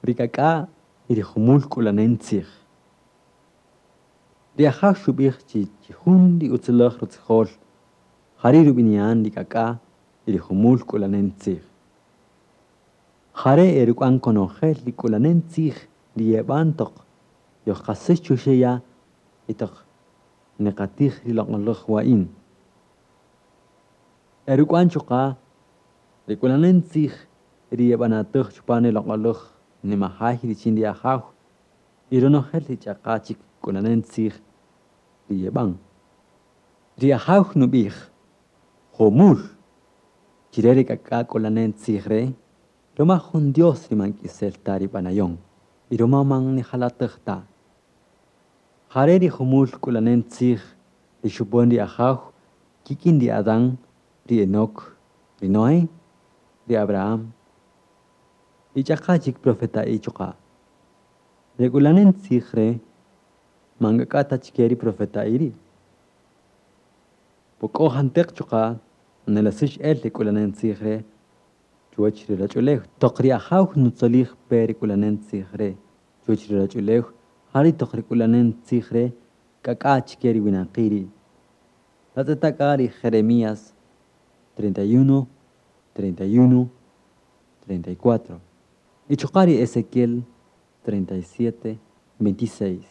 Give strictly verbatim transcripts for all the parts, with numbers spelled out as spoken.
Ri k'ak'a' y ri jumul k'ulanen tzij. Ri Ajaw xub'ij chi chijun ri utzulej rutzijol jari' rub'ini'an ri k'ak'a' y ri jumul k'ulanen tzij. Jare' eruk'uan konojel ri k'ulanen tzij ri yeb'an toq yojqasäx chuxe' ya' y toq niqatij ri loq'oläj wa'in. Eruk'uan chuqa' ri k'ulanen tzij ri yeb'anatäj chupan ri loq'oläj nimajay richin ri Ajaw y ronojel ri ch'aqa chik k'ulanen tzij ri yeb'an. Ri Ajaw nub'ij jumul chire ri k'ak'a' k'ulanen tzij re' ruma jun Dios ri man k'isel ta ri b'anayon y ruma man nijalatäj ta. Jare' ri jumul k'ulanen tzij ri xub'än ri Ajaw kik'in ri Adán, ri Enoc, ri Noé, ri Abraham y ch'aqa chik profeta'i chuqa'. Re k'ulanen tzij re' man k'ak'a' ta chike ri profeta'i ri'. Po k'o janteq chuqa' nelesäx el ri k'ulanen tzij re' chuwäch ri ruwach'ulew. Toq ri Ajaw nutzolij pe ri k'ulanen tzij re' chuwäch ri ruwach'ulew, jari' toq ri k'ulanen tzij re' k'ak'a' chike ri winaqi' ri'. Tatz'eta' k'a ri Jeremías treinta y uno, treinta y uno, treinta y cuatro. Y chuqa' ri Ezequiel treinta y siete, veintiséis.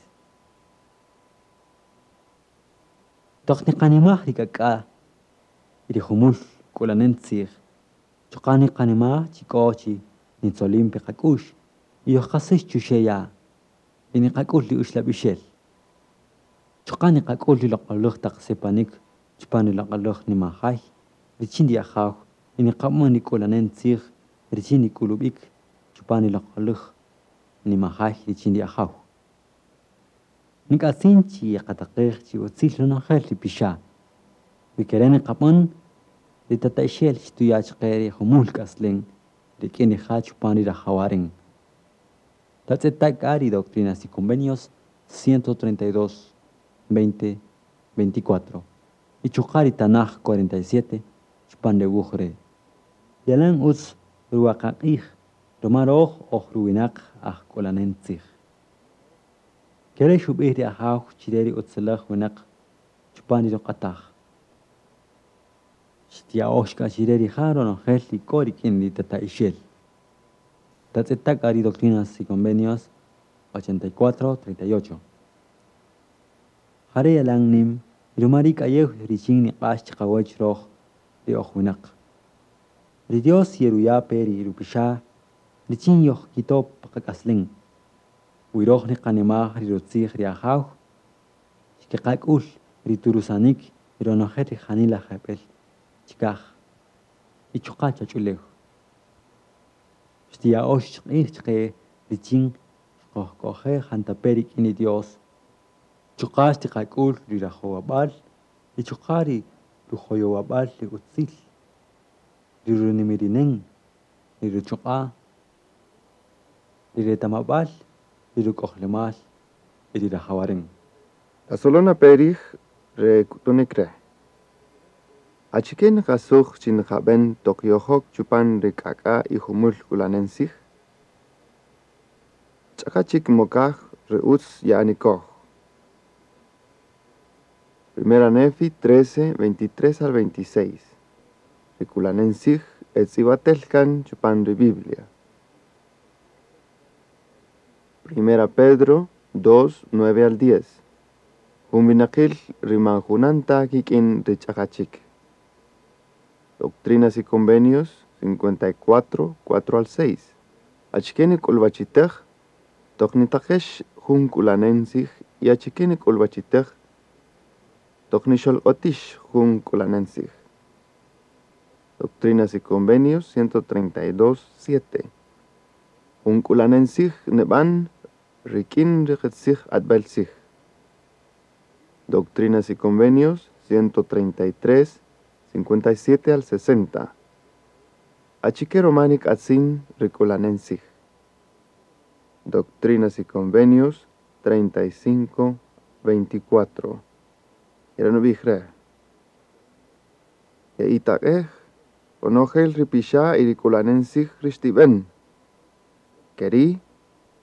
Toq niqanimaj ri k'ak'a' y ri jumul k'ulanen tzij, chuqa' niqanimaj chi k'o chi nitzolin pe qak'u'x y yojqasäx chuxe' ya' y niqak'ul ri uxlab'ixel. Chuqa' niqak'ul ri loq'oläj taq sipanik chupan ri loq'oläj nimajay richin ri Ajaw y niqab'än ri k'ulanen tzij richin ri k'ulub'ik chupan ri loq'oläj nimajay richin ri Ajaw. Nik'atzin chi yeqataqej chi utzil ronojel ri pixa'. Wi kere' niqab'än ri tata'ixel xtuya' chaqe ri jumul k'aslen rik'in rija' chupan ri rajawaren. Tatz'eta' k'a ri Doctrinas y Convenios ciento treinta y dos, veinte, veinticuatro. Y chuqa' ri Tanaj cuarenta y siete chupan re wuj re'. Yalan utz ruwaqaq'ij ruma röj oj ruwinaq aj k'ulanen tzij. Kere' xub'ij ri Ajaw chire ri utziläj winäq chupan ri ruq'ataj. Xtia'ox k'a chire rija' ronojel ri k'o rik'in ri tata'ixel. Tatz'eta' k'a ri Doctrinas y Convenios ochenta y cuatro, treinta y ocho. Jare' yalan nim ruma ri k'ayew richin niq'ax chiqawäch röj ri oj winäq. Ri Dios yeruya' pe ri rupixa' richin yojkito' pa qak'aslen. Wi röj niqanimaj ri rutzij ri Ajaw, xkeqak'ul ri turusanik y ronojel ri janila jeb'ël chikaj y chuqa' chach'ulew. Xtiya'ox q'ij chaqe richin xkojk'oje' jantape' rik'in ri Dios. Chuqa' xtiqak'ul ri rajowab'äl y chuqa' ri rujoyowab'äl ri utzil, ri runimirinen, ri ruchuq'a', ri retamab'äl, ri ruk'ojlemal y ri rajawaren. La solona perij re k'utunik re'. Achike niqasuj chi niqab'en toq yojok chupan ri k'ak'a' y jumul k'ulanen tzij? Ch'aqa chik mokaj ri utz ya'anikoj. Primera Nefi trece, veintitrés al veintiséis. Ri k'ulanen tzij etz'ib'atel kan chupan ri Biblia. Primera Pedro dos, nueve al diez. Jun winaqil ri man junanta kik'in ri ch'aqa chik. Doctrinas y Convenios cincuenta y cuatro, cuatro al seis. Achike nik'ulb'achitej, toq nitaqex jun k'ulanen tzij y achike nik'ulb'achitej, toq nixolq'otix jun k'ulanen tzij. Doctrinas y Convenios ciento treinta y dos, siete. Jun k'ulanen tzij neb'an rik'in ri qitzij q'atb'el tzij. Doctrinas y Convenios ciento treinta y tres, cincuenta y siete al sesenta. Achike roma nik'atzin ri k'ulanen tzij. Doctrinas y Convenios treinta y cinco, veinticuatro. Ere nub'ij re'. Ye'itaq'ej ronojel ri pixa' y ri k'ulanen tzij ri xtib'en. Keri'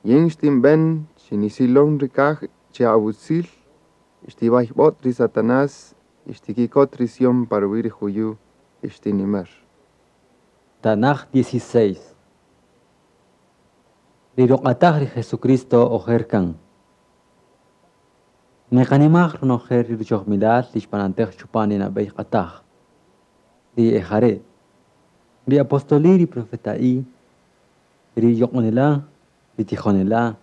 Yin xtinben chi nisilon ri kaj chi awutzil y xtibaybot ri Satanás y xtikikot ri Sión pa ruwi' ri juyu' y xtinimer. Tanaj dieciséis. Ri ruq'ataj ri Jesucristo ojer kan. Niqanimaj ronojel ri ruchojmilal ri xb'anatäj chupan ri nab'ey q'ataj. Ri ejare', ri apostoli, ri profeta'i, ri yoq'onela', ri tijonela',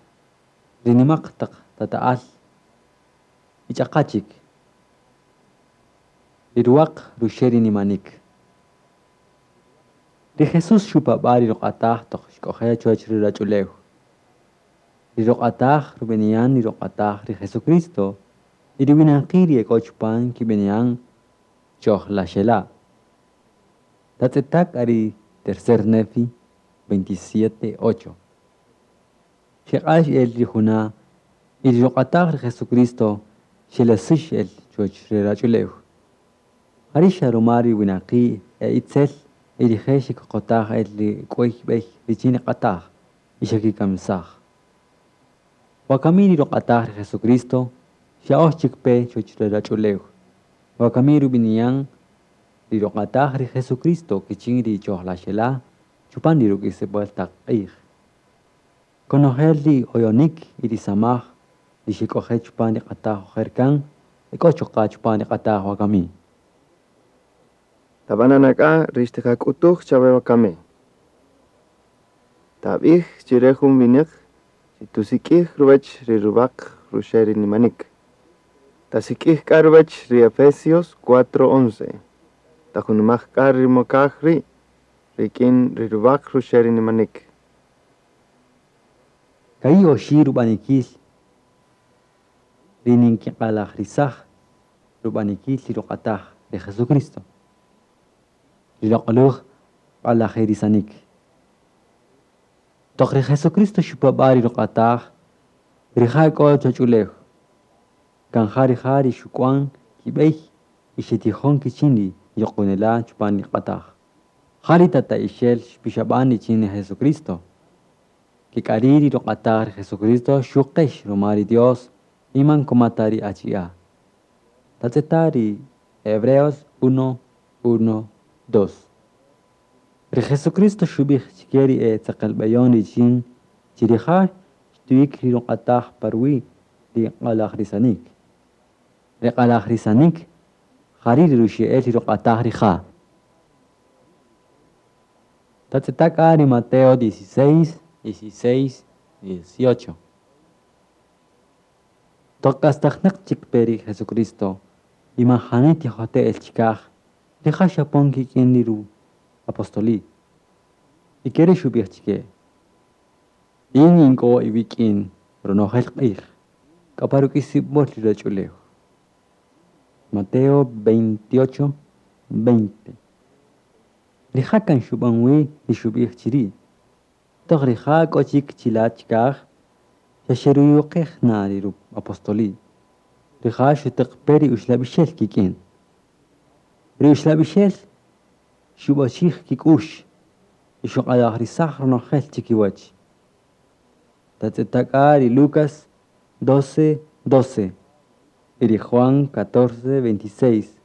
ri nimaq taq tata'al y ch'aqa chik. Ri ruwaq ruxe' ri nimanik. Ri Jesús xupab'a' ri ruq'ataj toq xk'oje' chuwäch ri ruwach'ulew. Ri ruq'ataj rub'ini'an ri ruq'ataj ri Jesucristo y ri winaqi' ri e k'o chupan kib'ini'an chojlaxela'. Tatz'eta' k'a ri tercer Nefi veintisiete ocho. Xeq'ax el ri juna' y ri ruq'ataj ri Jesucristo xelesäx el chuwäch ri ruwach'ulew. Jari' xa ruma ri winaqi' e itzel y rije' xekoqotaj el ri k'wey b'ey richin ri q'ataj y xekikamisaj. Wakami ri ruq'ataj ri Jesucristo xya'ox chik pe chuwäch ri ruwach'ulew. Wakami rub'ini'an ri ruq'ataj ri Jesucristo kichin ri chojlaxela' chupan ri ruk'isib'äl taq q'ij. Konojel ri oyonik y ri samaj ri xek'oje' chupan ri q'ataj ojer kan e k'o chuqa' chupan ri q'ataj wakami. Tab'ana' k'a ri xtiqak'utuj chawe wakami. Tab'ij chi re jun wineq chi tusik'ij ruwech ri ruwaq ruxe' ri nimanik. Tasik'ij k'a ruwech ri Efesios cuatro once. Tajunumaj k'a ri mokaj ri' rik'in ri ruwaq ruxe' ri nimanik. Ka'i oxi' rub'anikil ri ninkiq'alajrisaj rub'anikil ri ruq'ataj ri Jesucristo. Ri loq'olaj q'alajirisanik. Toq ri Jesucristo xupab'a' ri ruq'ataj, rija' k'o chuwach'ulew. Kan ja rija' ri xuk'wan kib'ey y xetijon kichin ri yoq'onela' chupan ri q'ataj. Ja ri tata'ixel xpixab'an richin ri Jesucristo. Kek'ari' ri ruq'ataj ri Jesucristo xuqex ruma ri Dios y man komata ri achi'a'. Tatz'eta' ri Hebreos uno, uno, dos. Ri Jesucristo xub'ij chike ri e tzeqelb'eyon richin chi rija' xtuyik ri ruq'ataj pa ruwi' ri q'alajrisanik. Ri q'alajrisanik jari' ri ruxe'el ri ruq'ataj rija'. Tatz'eta' k'a ri Mateo dieciséis, dieciséis, dieciocho. Toq k'astajnäq chik pe ri Jesucristo y man jani tijote' el chikaj, rija' xapon kik'in ri ru-apostoli. Y kere' xub'ij chike: Yin ink'o iwik'in ronojel q'ij, k'a pa ruk'isib'äl ri ruwach'ulew. Mateo veintiocho, veinte. Rija' kan xub'an wi ri xub'ij chiri'. Toq rija' k'o chik chila' chikaj, xa xeruyuqej na ri ru-apostoli. Rija' xutäq pe ri uxlab'ixel kik'in. Ri uxlab'ixel xub'ochij kik'ux y xuq'alajrisaj ronojel chikiwach. Tatz'eta' k'a ri Lucas doce, doce y ri Juan catorce, veintiséis.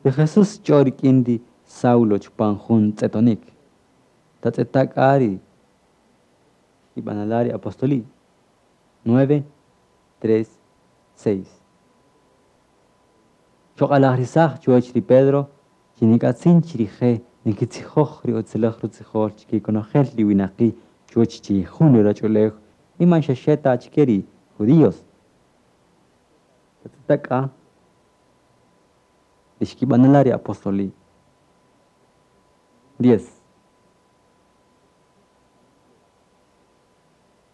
Ri Jesús xch'o rik'in ri Saulo chupan jun tz'etonik. Tatz'eta' k'a ri xkib'anala' ri apostoli. nueve, tres, seis. Xuq'alajrisaj chuwäch ri Pedro chi nik'atzin chi rije' nikitzijoj ri utziläj rutzijol chike konojel ri winaqi' chuwäch chi jun ri ruwach'ulew y man xa xe ta chike ri judíos. Tatz'eta' k'a ri xkib'anala' ri apostoli. Diez.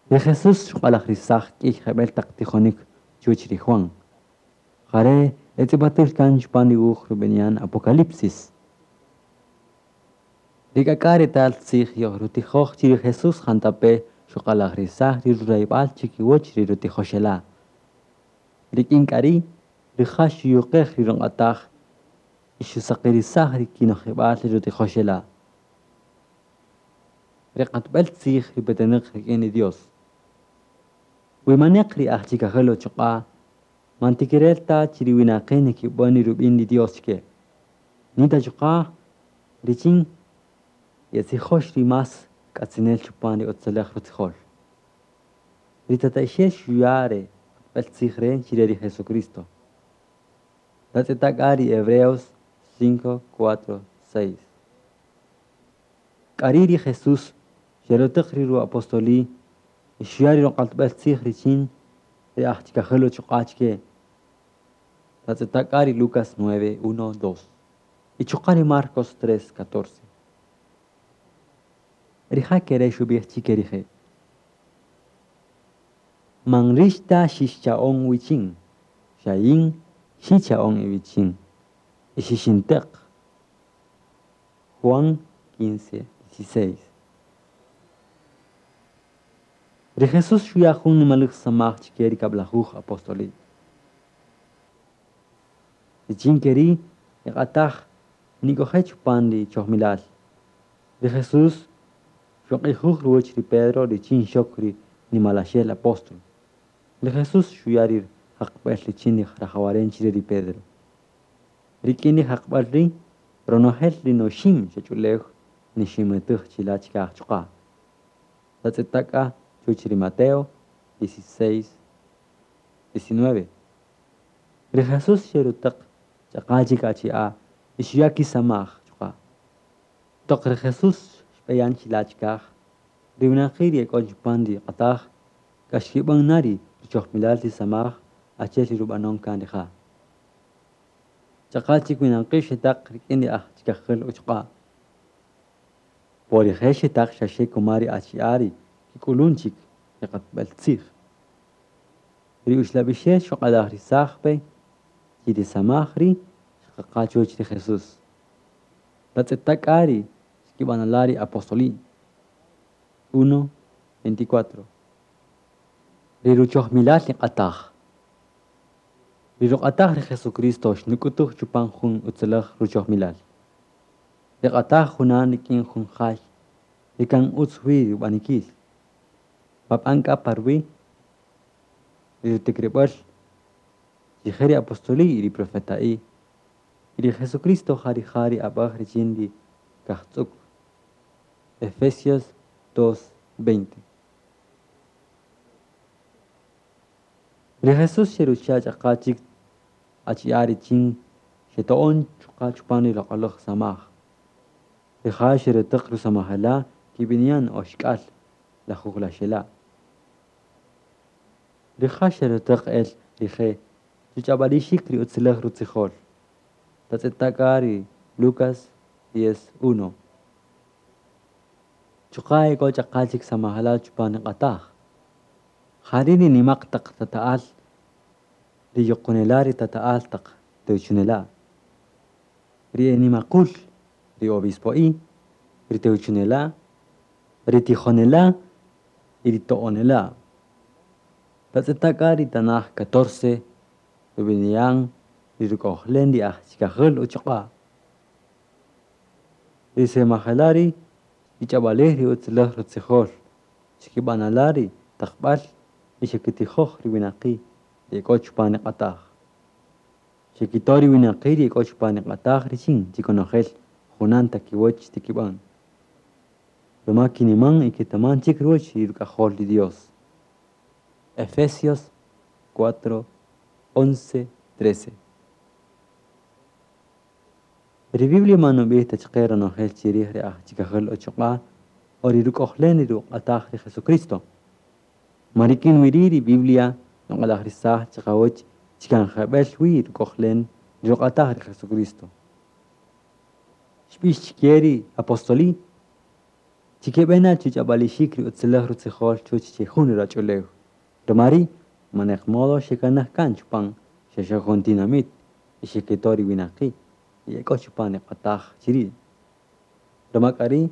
Ri Jesús xuq'alajrisaj k'ïy jeb'ël taq tijonik chuwäch ri Juan. Jare' etz'ib'atel kan chupan ri wuj rub'ini'an Apocalipsis. Ri k'ak'a' retal tzij yojrutijoj chi ri Jesús jantape' xuq'alajrisaj ri rurayb'al chikiwach ri rutijoxela'. Rik'in k'a ri' rija' xuyuqej ri ruq'ataj y xusaqirisaj ri kinojib'al ri rutijoxela'. Ri q'atb'äl tzij ri petenäq rik'in ri Dios. Wi maneq ri aj chikajel uchuq'a', man tikirel ta chi ri winaqi' nikib'än ri rub'in ri Dios chke. Nita chuqa' richin yetzijox ri más k'atzinel chupan ri utzulej rutzijol. Ri tata'ixel xuya' re q'atb'äl tzij re' chire ri Jesucristo. Tatz'eta' k'a ri Hebreos cinco, cuatro, seis. K'ari' ri Jesús xerutäq ri ru-apostoli y xuya' ri ruq'atb'äl tzij richin ri aj chikajel uchuq'a' chke. Tatz'eta' k'a ri Lucas nueve, uno, dos. Y chuqa' ri Marcos tres, catorce. Rija' kere' xub'ij chike rije': Man rix ta xixcha'on wichin, xa yin xicha'on iwichin y xixinteq. Juan quince, dieciséis. Ri Jesús xuya' jun nimalej samaj chike ri kablajuj apostoli. Richin keri' niq'ataj nik'oje' chupan ri chojmilal. Ri Jesús xuq'ijuj ruwäch ri Pedro richin xok ri nimalaxel apóstol. Ri Jesús xuya' ri jaqb'äl richin ri rajawaren chire ri Pedro. Rik'in ri jaqb'äl ri' ronojel ri noxim chuwach'ulew niximetäj chila' chikaj chuqa'. Tatz'eta' k'a chuwäch ri Mateo dieciséis, diecinueve. Ri Jesús xerutäq ch'aqa chik achi'a' y xuya' kisamaj chuqa'. Toq ri Jesús xb'eyan chila' chikaj, ri winaqi' ri ek'o chupan ri q'ataj k'a xkib'än na ri ruchojmilal ri samaj achi'el ri rub'anon kan rija'. Ch'aqa chik winaqi' xetaq rik'in ri aj chikajel uchuq'a'. Po rije' xetaq xaxe kuma ri achi'a' ri kik'ulun chik ri q'atb'äl tzij. Ri uxlab'ixel xuq'alajrisaj pe chi ri samaj ri' xqaqa chuwäch ri Jesús. Tatz'eta' k'a ri xkib'anala' ri apostoli. uno, veinticuatro. Ri ruchojmilal ri q'ataj. Ri ruq'ataj ri Jesucristo xnuk'utuj chupan jun utzulej ruchojmilal. Ri q'ataj junan rik'in jun jay ri kan utz wi rub'anikil. Pap'an k'a parwi' ri rutikrib'äl chije ri apostoli y ri profeta'i y ri Jesucristo ja rija' ri ab'äj richin ri kajtz'uk. Efesios dos, veinte. Ri Jesús xerucha' ch'aqa chik achi'a' richin xeto'on chuqa' chupan ri loq'oläj samaj. Rija' xerutäq rusamajela' kib'ini'an oxk'al lajujlaxela'. Rija' xerutäq el rije' chuch'ab'alixik ri utzulej rutzijol. Tatz'eta' k'a ri Lucas diez, uno. Chuqa' ek'o ch'aqa chik samajela' chupan ri q'ataj. Jari' ri nimaq taq tata'al, ri yuqunela' ri tata'al taq tewchunela'. Ri e nimaqul, ri obispo'i, ri tewchunela', ri tijonela' y ri to'onela'. Tatz'eta' k'a ri tanaj catorce rub'ini'an ri ruk'ojlen ri aj chikajel uchuq'a'. Ri samajela' ri xkich'ab'alij ri utzulej rutzijol, xkib'anala' ri taqb'äl y xekitijoj ri winaqi' ri ek'o chupan ri q'ataj. Xekito' ri winaqi' ri ek'o chupan ri q'ataj richin chi konojel junan ta kiwäch tikib'än. Ruma kiniman y ketaman chik ruwäch ri ruk'ajol ri Dios. Efesios cuatro, once, trece. Ri Biblia man nub'ij ta chaqe ronojel chirij ri aj chikajel uchuq'a' o ri ruk'ojlen ri ruq'ataj ri Jesucristo. Man rik'in wi ri' ri Biblia nuq'alajrisaj chiqawäch chi kan jeb'ël wi ruk'ojlen ri ruq'ataj ri Jesucristo. Xb'ix chike ri apostoli chi keb'ena chuch'ab'alixik ri utzulej rutzijol chuwäch chi jun ruwach'ulew. Ruma ri' maneq modo xekanaj kan chupan xaxe jun tinamit y xekito' ri winaqi' ri ek'o chupan ri q'ataj chiri'. Ruma k'a ri'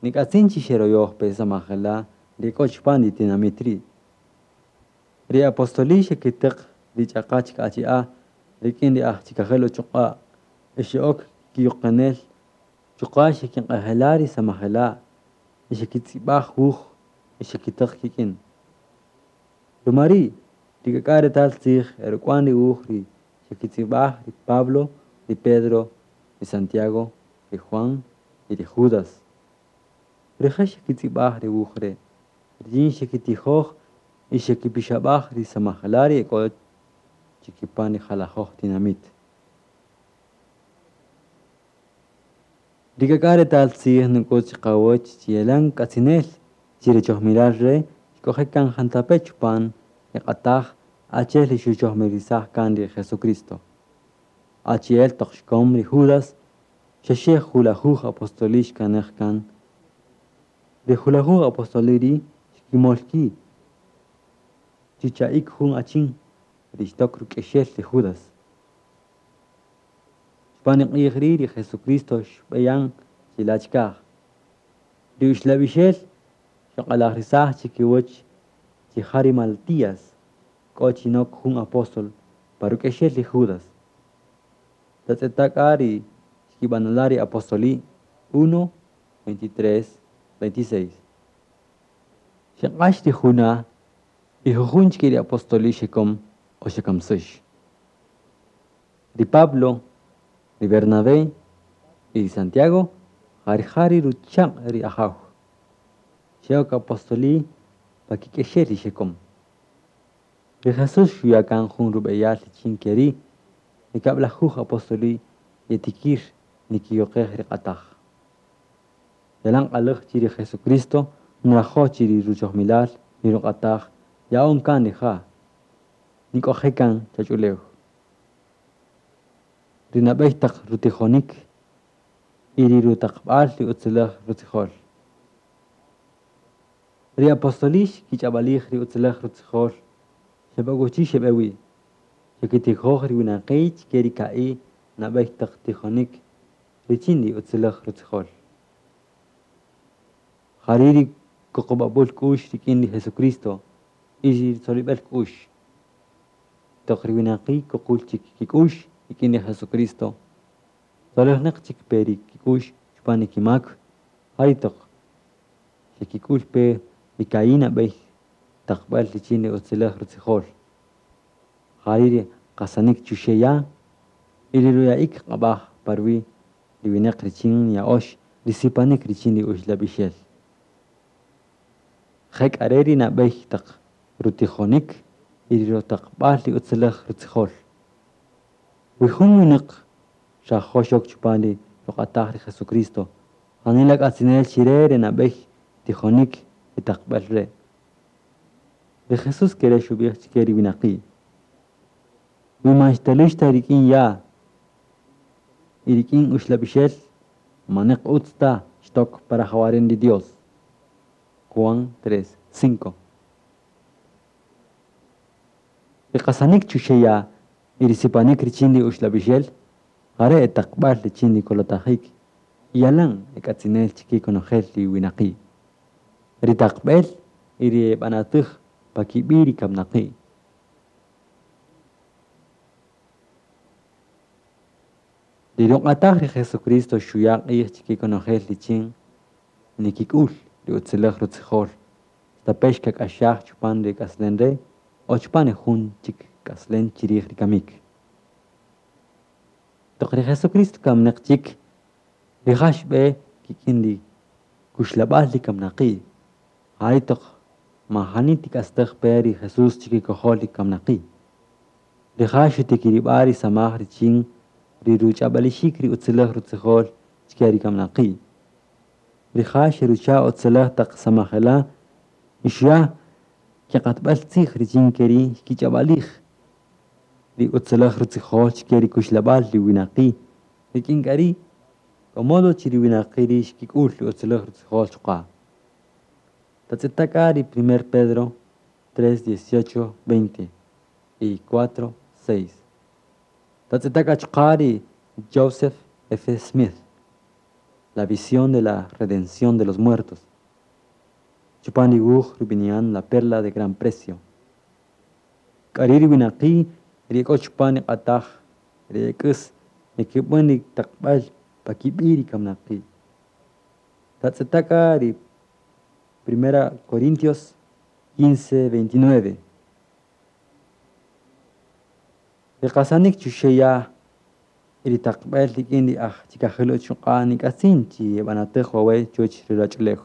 nik'atzin chi xeroyoj pe samajela' ri ek'o chupan ri tinamit ri'. Ri apostoli xekitäq ri ch'aqa chik achi'a' rik'in ri aj chikajel uchuq'a' y xe'ok kiyuqenel chuqa' xekiq'ejela' ri samajela' y xekitz'ib'aj wuj y xekitäq kik'in. Ruma ri' ri k'ak'a' retal tzij e ruk'wan ri wuj ri xekitz'ib'aj ri Pablo, ri Pedro, ri Santiago, ri Juan y ri Judas. Rije' xekitz'ib'aj re wuj re' richin xekitijoj y xekipixab'aj ri samajela' ri e k'o chi kipan ri jalajöj tinamït. Ri k'ak'a' retal tzij nuk'ut chi qawäch chi yalan k'atzinel chi re chojmilal re' xk'oje' kan jantape' chupan ri q'ataj achi'el ri xuchojmirisaj kan ri Jesucristo. Achi'el toq xkäm ri Judas, xa xe julajuj apostoli' xkanaj kan. Ri julajuj apostoli' ri' xkimöl ki' chucha'ik jun achin ri xtok ruk'exel ri Judas. Chupan ri q'ij ri' ri Jesucristo xb'e yan chi la' chikaj. Ri uxlab'ixel xuq'alajrisaj chi kiwäch chi ja ri Matías k'o chi nok jun apóstol pa ruk'exel ri Judas. Tatz'eta' k'a ri xkib'anala' ri apostoli' uno, veintitrés, veintiséis. Xeq'ax ri juna' y jujun chike ri apostoli' xekäm o xekamsäx. Ri Pablo, ri Bernabé y ri Santiago ja rija' ri ruchaq' ri Ajaw. Xe'ok apostoli' pa kik'exel ri xekäm. Ri Jesús xuya' kan jun rub'eyal richin ke ri' ri kab'lajuj apostoli' yetikïr nikiyuqej ri q'ataj. Yalan q'alaj chi ri Jesucristo nrajo' chi ri ruchojmilal ri ruq'ataj ya'on kan rija' nik'oje' kan chach'ulew. Ri nab'ey taq rutijonik y ri rutaqb'al ri utziläj rutzijol. Ri apostoli' xkich'ab'alij ri utziläj rutzijol xeb'akuchi xeb'e wi. Xekitijoj ri winaqi' chike ri ka'i' nab'ey taq tijonik richin ri utziläj rutzijol. Ja ri' ri kuqub'ab'äl k'u'x rik'in ri Jesucristo y ri tzolib'äl k'u'x. Toq ri winaqi' kuqul chik kik'u'x rik'in ri Jesucristo, tzolejnäq chik pe ri kik'u'x chupan ri kimak, ja ri toq xekik'ül pe ri ka'i' nab'ey taqb'äl richin ri utziläj rutzijol. Ja ri' ri qasanik chuxe' ya' y ri ruya'ik q'ab'aj pa ruwi' ri winäq richin nya'öx ri sipanik richin ri uxlab'ixel. Je k'a re' ri nab'ey taq rutijonik y ri rutaqb'al ri utziläj rutzijol. Wi jun winäq xrajo' xok chupan ri ruq'ataj ri Jesucristo, janila k'atzinel chi re re nab'ey tijonik y taqb'äl re'. Ri Jesús ke re' xub'ij chike ri winaqi': Wi man xtalüx ta rik'in ya' y rik'in uxlab'ixel, manäq utz ta xtok pa rajawaren ri Dios. Juan tres, cinco. Ri qasanik chuxe' ya' y ri sipanik richin ri uxlab'ixel, ja re' e taqb'äl richin ri kolotajik y yalan e k'atzinel chike konojel ri winaqi'. Ri taqb'ël y ri b'anatäj pa kib'i' ri kamnaqi'. Ri ruq'ataj ri Jesucristo xuya' q'ij chike konojel richin nikik'ül ri utziläj rutzijol, stape' xkak'axaj chupan re k'aslem re' o chupan ri jun chik k'aslem chi rij ri kamïk. Toq ri Jesucristo kamnäq chik, rija' xb'e kik'in ri kuxlab'al ri kamnaqi'. Ja ri' toq majani tik'astäj pe ri Jesús chi kikojol ri kamnaqi'. Rija' xutikirib'a' ri samaj richin ri ruch'ab'alixik ri utziläj rutzijol chike ri kamnaqi'. Rija' xerucha' utziläj taq samajela' y xuya' kiq'atb'äl tzij richin ke ri' xkich'ab'alij ri utziläj rutzijol chike ri kuxlab'al ri winaqi' rik'in k'a ri' k'o modo chi ri winaqi' ri' xkik'ül ri utziläj rutzijol chuqa'. Tatz'eta' k'a ri primer Pedro tres, dieciocho, veinte y cuatro, seis. Tatz'eta' k'a chuqa' ri Joseph F. Smith, La visión de la redención de los muertos. Chupan ri wuj rub'ini'an La perla de gran precio. K'a ri' ri winaqi' ri k'o chupan ri q'ataj ri ek'äs nikib'än ri taqb'äl pa kib'i' ri kamnaqi'. Tatz'eta' k'a ri Primera Corintios quince, veintinueve. Ri qasanik chuxe' ya' y ri taqb'el rik'in ri aj chikajil uchuq'a' nik'atzin chi yeb'anatäj wawe' chuwäch ri ruwach'ulew.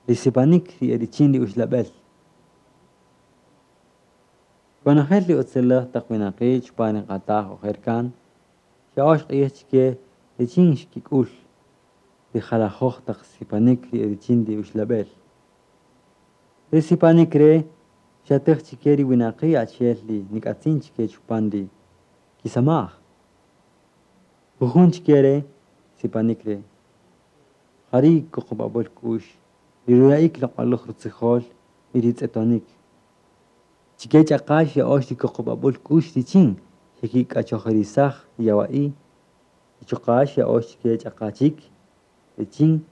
Ri sipanik ri e richin ri uxlab'el. Konojel ri utziläj taq winaqi' chupan ri q'ataj ojer kan, xya'öx q'ij chike richin xkik'ül ri jalajöj taq sipanik ri e richin ri uxlab'el. Re sipanik re' xyatëj chike ri winaqi' achi'el ri nik'atzin chike chupan ri kisamaj. Jujun chike re sipanik re' ja ri kuqub'ab'äl k'u'x, ri ruya'ik loq'oläj rutzijol y ri tz'etonik. Chike ch'aqa xya'öx ri kuqub'ab'äl k'u'x richin xekik'achojirisaj ri yawa'i' y chuqa' xya'öx chike ch'aqa chik richin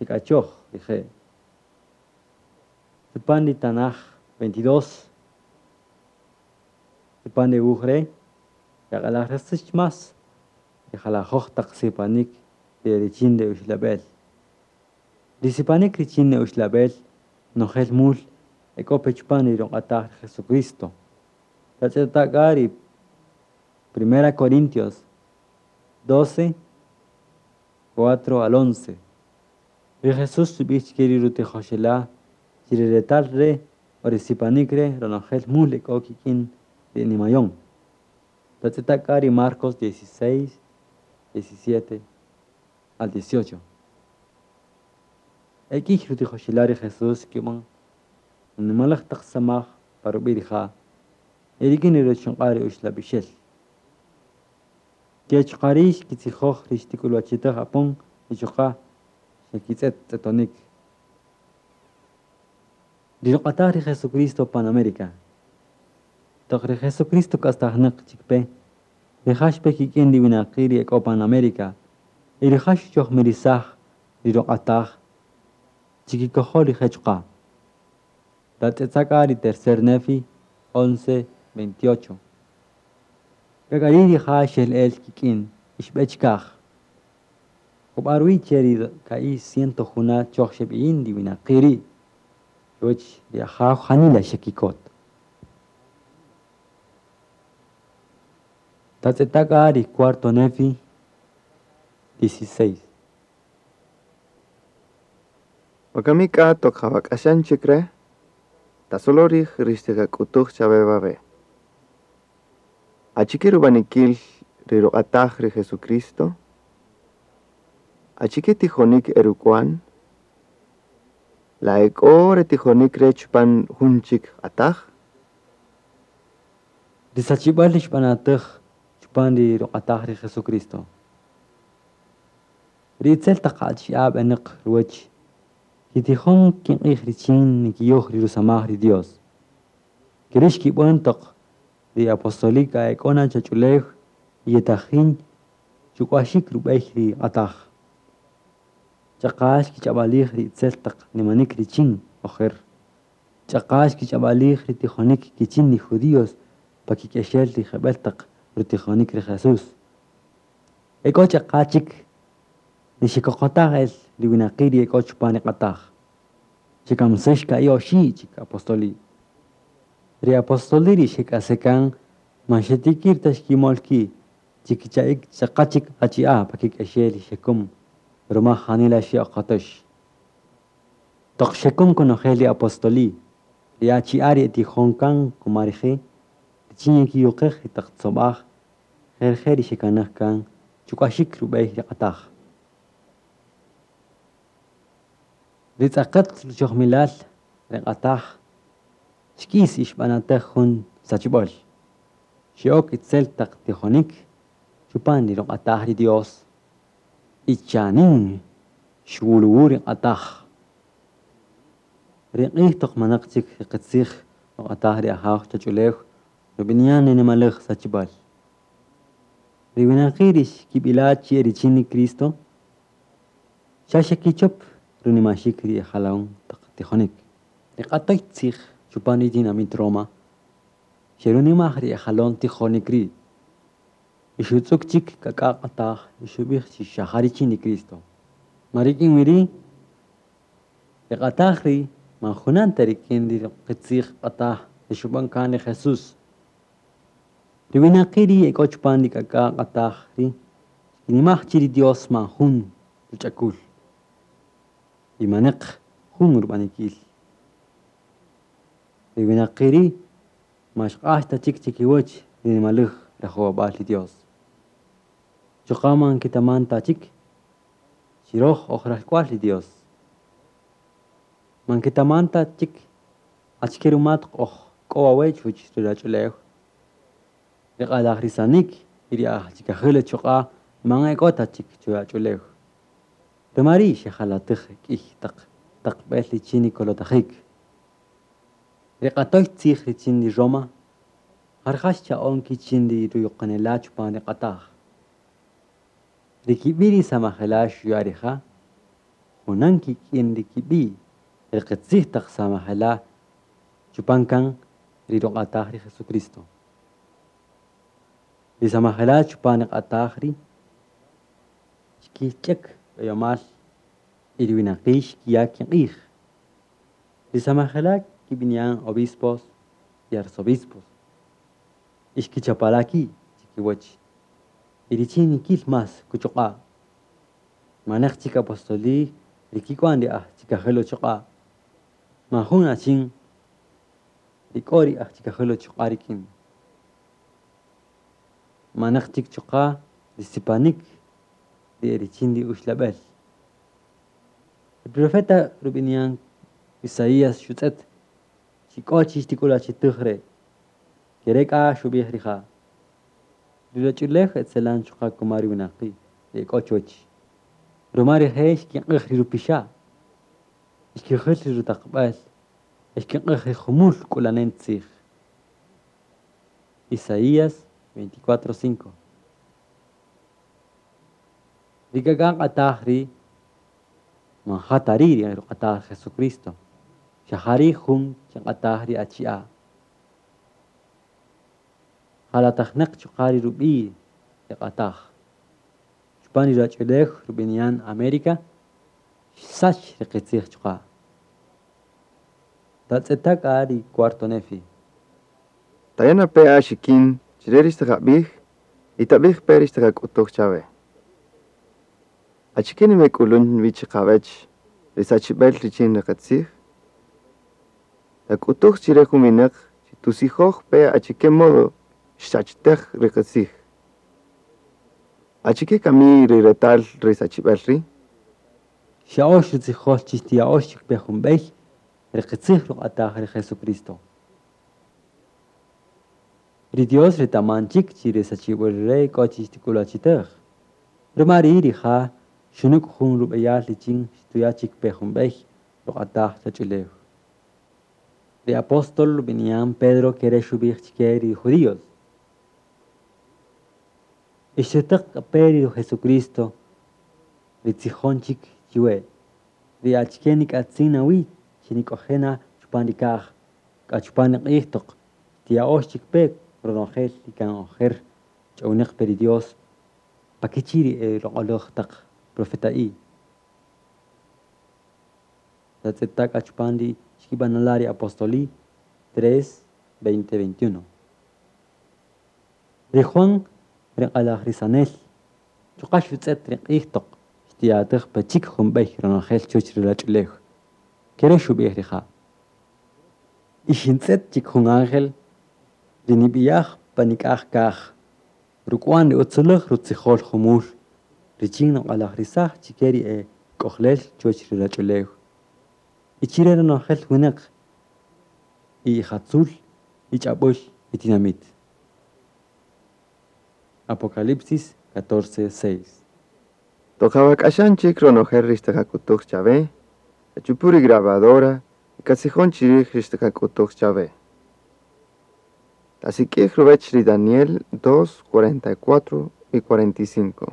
xek'achoj rije'. Chupan ri tanaj veintidós chupan re wuj re' yaq'alajrisäx más ri jalajöj taq sipanik ri e richin ri uxlab'el. Ri sipanik richin ri uxlab'el nojel mul e k'o pe chupan ri ruq'ataj ri Jesucristo. Tatz'eta' k'a ri Primera Corintios doce, cuatro al once. Ri Jesús xub'ij chike ri rutijoxela' chi ri retal re' o ri sipanik re' ronojel mul e k'o kik'in ri nimayon. Tatz'eta' k'a ri Marcos dieciséis, diecisiete al dieciocho. E k'iy rutijoxela' ri Jesús kib'an nimaläj taq samaj pa rub'i' rija' y rik'in ri ruchuq'a' ri uxlab'ixel. Ke chuqa' ri' xkitzijoj ri xtik'ulwachitäj apon y chuqa' xekitz'et tz'etonik. Ri ruq'ataj ri Jesucristo pan América. Toq ri Jesucristo k'astajnäq chik pe, rija' xpe kik'in ri winaqi' ri e k'o pan América y rija' xuchojmirisaj ri ruq'ataj chikikojol rije' chuqa'. Tatz'etza' k'a ri tercer Nefi once, veintiocho. K'a k'a ri' rija' xel el kik'in y xb'e chikaj. Jub'a ruwi' che ri ka'i' ciento juna' choj xeb'iyin ri winaqi' ri' chuwäch ri Ajaw janila xekikot. Tatz'eta' k'a ri cuarto Nefi dieciséis. Wakami k'a toq jawak'axan chik re', tasolo rij ri xtiqak'utuj chawe wawe'. Achike rub'anikil ri ruq'ataj ri Jesucristo? Achike tijonik eruk'wan? La e k'o re tijonik re chupan jun chik q'ataj? Ri sachib'äl ri xb'anatäj chupan ri ruq'ataj ri Jesucristo. Ri itzel taq achi'a' b'enäq ruwäch kitijon kiq'ij richin nikiyoj ri rusamaj ri Dios. Keri' xkib'än toq ri apostoli k'a e k'o na chach'ulew y yetajin chuk'waxik rub'ey ri q'ataj. Ch'aqa xkich'ab'alij ri itzel taq nimanik richin ojer. Ch'aqa xkich'ab'alij ri tijonik kichin ri judíos pa kik'exel ri jeb'ël taq rutijonik ri Jesús. E k'o ch'aqa chik ri xekoqotaj el ri winaqi' ri e k'o chupan ri q'ataj. Xekamsäx ka'i' oxi' chik apostoli. Ri apostoli ri xek'asekan man xetikir ta xkimol ki' chikicha'ik ch'aqa chik achi'a' pa kik'exel ri xekum ruma janila xe'oqotäx. Toq xekum konojel ri apostoli, ri achi'a' ri etijon kan kuma rije' richin yekiyuqej ri taq tzob'aj jerje' ri xekanaj kan chuk'waxik rub'ey ri q'ataj. Ri tz'aqät ruchojmilal ri q'ataj xk'is y xb'anatäj jun sachib'äl. Xe'ok itzel taq tijonik chupan ri ruq'ataj ri Dios y chanin xwuluwu ri q'ataj. Ri q'ij toq manaq chik ri qitzij ruq'ataj ri Ajaw chach'ulew rub'ini'an ri nimaläj sachib'äl. Ri winaqi' ri xkib'ila' chi e richin ri Cristo xa xekichop runimaxik ri ejalaon taq tijonik. Ri q'atöy tzij chupan ri tinamit Roma xerunimaj ri ejalon tijonik ri' y xutz'ük chik k'ak'a' q'ataj y xub'ij chi xa ja richin ri Cristo. Ma rik'in wi ri' ri q'ataj ri' man junan ta rik'in ri qitzij q'ataj ri xub'än kan ri Jesús. Ri winaqi' ri e k'o chupan ri k'ak'a' q'ataj ri' xkinimaj chi ri Dios man jun ruch'akul y maneq jun rub'anikil. Ri winaqi' ri' man xq'ax ta chik chikiwäch ri nimaläj rajowab'äl ri Dios. Chuqa' man kitaman ta chik chi röj oj ralk'wa'l ri Dios. Man kitaman ta chik achike ruma toq oj k'o wawe' chuwäch ri ruwach'ulew. Ri q'alajrisanik y ri aj chikajil chuqa' man e k'o ta chik chuwach'ulew. Ruma ri' xejalatäj k'ïy taq taqb'el richin ri kolotajik. Ri q'atöy tzij richin ri Roma ja rija' xcha'on kichin ri ruyuqanela' chupan ri q'ataj. Ri kib'i' ri samajela' xuya' rija' junan kik'in ri kib'i' ri qitzij taq samajela' chupan kan ri ruq'ataj ri Jesucristo. Ri samajela' chupan ri q'ataj ri' xkich'äk b'eyomäl y ri winaqi' xkiya' kiq'ij. Ri samajela' kib'ini'an obispos y arzobispos y xkichapala' ki' chikiwäch y richin nikil más kuchuq'a'. Maneq chik apostoli ri kik'wan ri aj chikajil uchuq'a'. Man jun achin ri k'o ri aj chikajil uchuq'a' rik'in. Maneq chik chuqa' ri sipanik ri richin ri uxlab'el. Ri profeta rub'ini'an Isaías xutz'et chi k'o chi xtik'ulwachitej re'. Kere' k'a xub'ij rija'. Ri ruwach'ulew etzelan chuqa' kuma ri winaqi' ri e k'o chuwäch. Ruma rije' xkiq'ej ri rupixa', xkijäl ri rutaqb'äl, xkiq'ej ri jumul k'ulanen tzij. Isaías veinticuatro cinco. Ri k'ak'a' q'ataj ri' man ja ta ri' ri ruq'ataj Jesucristo. Xa ja ri' jun kiq'ataj ri achi'a'. Jalatajnäq chuqa' ri rub'i' ri q'ataj. Chupan ri ruwach'ulew rub'ini'an América xsach ri qitzij chuqa'. Tatz'eta' k'a ri cuarto Nefi. Taya' pe axikin chire ri xtiqab'ij y tab'ij pe ri xtiqak'utuj chawe. Achike nimek'ulun wi chiqawech ri sachib'el richin ri qitzij? Tak'utuj chire jun winäq chi tusijoj pe achike modo xsachtej ri qitzij. Achike kami ri retal ri sachib'el ri'? Xya'öx rutzijol chi xtiya'öx chik pe jun b'ey ri qitzij ruq'ataj ri Jesucristo. Ri Dios retaman chik chi ri sachib'äl re' k'o chi xtik'ulwachitej. Ruma ri' rija' xunük' jun rub'eyal richin xtuya' chik pe jun b'ey ruq'ataj ruwach'ulew. Ri apóstol rub'ini'an Pedro kere' xub'ij chike ri judíos. Ixtetäq pe ri Jesucristo ri tzijon chik chiwe. Ri achike nik'atzin nawi chi nik'oje' na chupan ri kaj, k'a chupan ri q'ij toq xtiya'öx chik pe ronojel ri kan ojer ch'ownäq pe ri Dios pakichi' ri e loq'oläj taq profeta'i. Tatz'eta' k'a chupan ri xkib'anala' ri apostoli tres, veinte, veintiuno. Ri Juan ri q'alajrisanel chuqa' xutz'et ri q'ij toq xtiya'atäj pe chik jun b'ey ronojel chuwäch ri ruwach'ulew. Kere' xub'ij rija'. Y xintz'et chik jun ángel ri nib'iyaj pa nik'aj kaj ruk'wan ri utziläj rutzijol jumul richin nuq'alajrisaj chike ri e k'ojlel chuwäch ri ruwach'ulew. Y chire ronojel winäq y ijatzul, y ch'ab'äl, y tinamit. Apocalipsis catorce, seis. Toq awak'axan chik ronojel ri xtiqak'utuj chawe, tachupu ri grabadora y katzijon chirij ri xtiqak'utuj chawe. Tasik'ij ruwech ri Daniel dos, cuarenta y cuatro y cuarenta y cinco.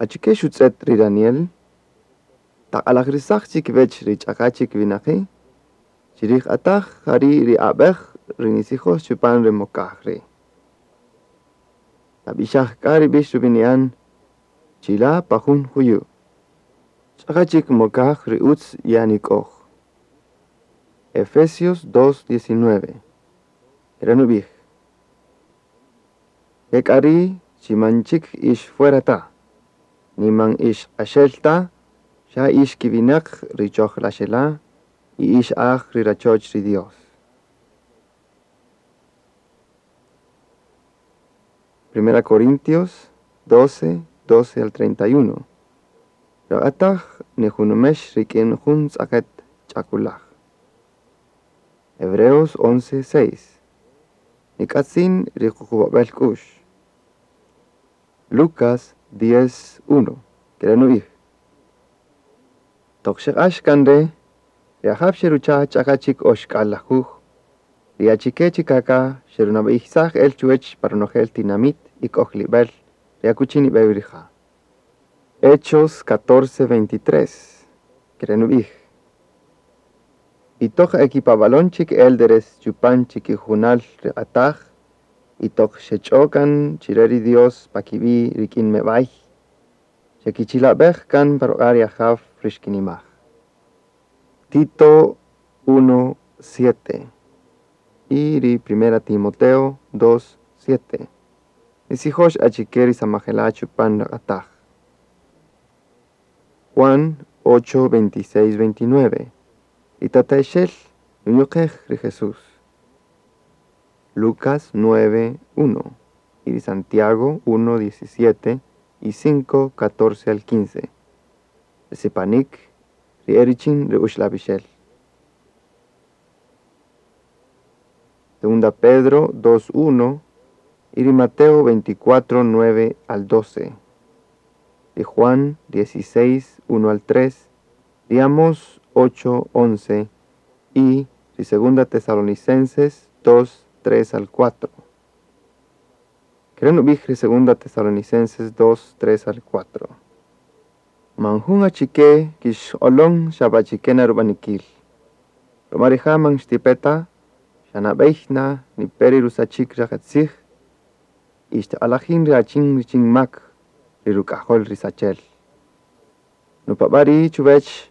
Achike xutz'et ri Daniel? Taq'alajrisaj chik wech ri ch'aqa chik winaqi', chirij q'ataj jari' ri ab'ej ri nisijoj chupan ri mokaj ri'. Tab'ixaj k'a ri b'ix rub'ini'an chila' pa jun juyu'. Ch'aqa chik mokaj ri utz ye'anik'oj. Efesios dos, diecinueve. Kere' nub'ij. Ke k'a ri' chi man chik ix fuera ta, ni man ix q'axel ta, xa ix kiwinaq ri chojlaxela' y ix aj ri rachoch ri Dios. Primera Corintios doce, doce al treinta y uno. Raq'ataj nijunumex rik'in jun tz'aqet ch'akulaj. Hebreos once, seis. Nik'atzin ri kuqub'ab'el k'u'x. Lucas diez, uno. Kere' nu'ij. Toq xeq'ax kan re', ri Ajaw xerucha' ch'aqa' chik oxk'al lajuj, ri achike chik k'a xerunabeyisaj el chuwech pa ronojel tinamit y k'ojlibel ri akuchi nibe-wi rija'. Hechos catorce, veintitrés. Kere' nu'ij. Y toq ekipabalon chik élderes chupan chikijunal ri q'ataj, y toq xech'on kan chire ri Dios pa kibi' rik'in mebay, xekichilabej kan pa ruq'a' ri ajaw ri xkinimaj. Tito uno, siete. Y ri Primera Timoteo dos, siete. Nitzijox achike ri samajela' chupan ri q'ataj. Juan ocho, veintiséis, veintinueve. Ri tata'ixel nuyuqej ri Jesús. Lucas nueve, uno. Y ri Santiago uno, diecisiete y cinco, catorce al quince. Ri sipanik ri e richin ri uxlab'ixel. Segunda Pedro dos, uno y ri Mateo veinticuatro, nueve al doce. Ri Juan dieciséis, uno al tres, ri Amós ocho, once y ri Segunda Tesalonicenses dos, tres al cuatro. Kere' nub'ij ri Segunda Tesalonicenses dos, tres al cuatro. Man jun achike kixq'olon xa b'achike na rub'anikil. Ruma rija' man xtipe ta, xa nab'ey na nipe ri rusachik ri qatzij y xtiq'alajin ri achin richin mak, ri ruk'ajol ri sachel. Nupab'a' ri' chuwech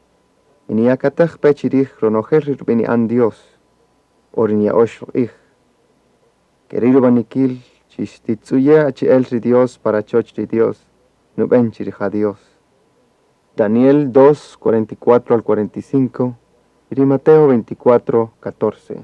y niyakatej pe chirij ronojel ri rub'ini'an Dios o ri niya'ox ruq'ij. Keri' rub'anikil chi xtitz'uye' achi'el ri Dios pa rachoch ri Dios, nub'en chi rija' Dios. Daniel dos, cuarenta y cuatro al cuarenta y cinco y ri Mateo veinticuatro, catorce.